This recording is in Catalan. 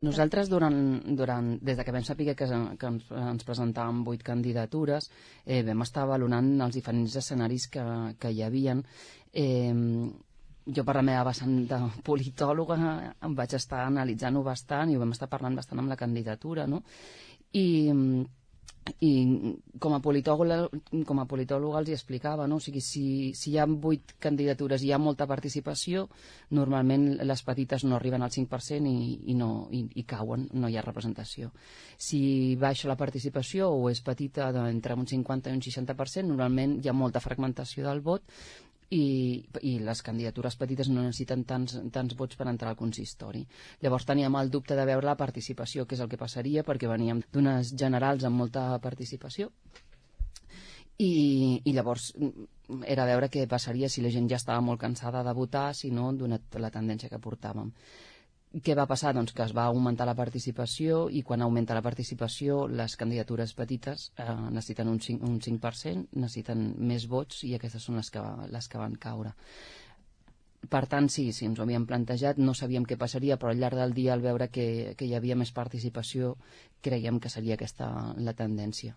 Nosaltres, des que vam saber que ens presentàvem 8 candidatures, vam estar valorant els diferents escenaris que hi havien. Jo, per la meva vessant de politòloga, em vaig estar analitzant-ho bastant i ho vam estar parlant bastant amb la candidatura, no? I com a politòloga els hi explicava, no? O sigui, si hi ha 8 candidatures i hi ha molta participació, normalment les petites no arriben al 5% i cauen, no hi ha representació. Si baixa la participació o és petita entre un 50 i un 60%, normalment hi ha molta fragmentació del vot i les candidatures petites no necessiten tants vots per entrar al consistori. Llavors teníem el dubte de veure la participació, que és el que passaria, perquè veníem d'unes generals amb molta participació i llavors era veure què passaria si la gent ja estava molt cansada de votar, si no, donat la tendència que portàvem. Què va passar? Doncs que es va augmentar la participació i quan augmenta la participació les candidatures petites necessiten un 5%, necessiten més vots i aquestes són les que van caure. Per tant, sí, ens ho havíem plantejat, no sabíem què passaria, però al llarg del dia, al veure que hi havia més participació, creiem que seria aquesta la tendència.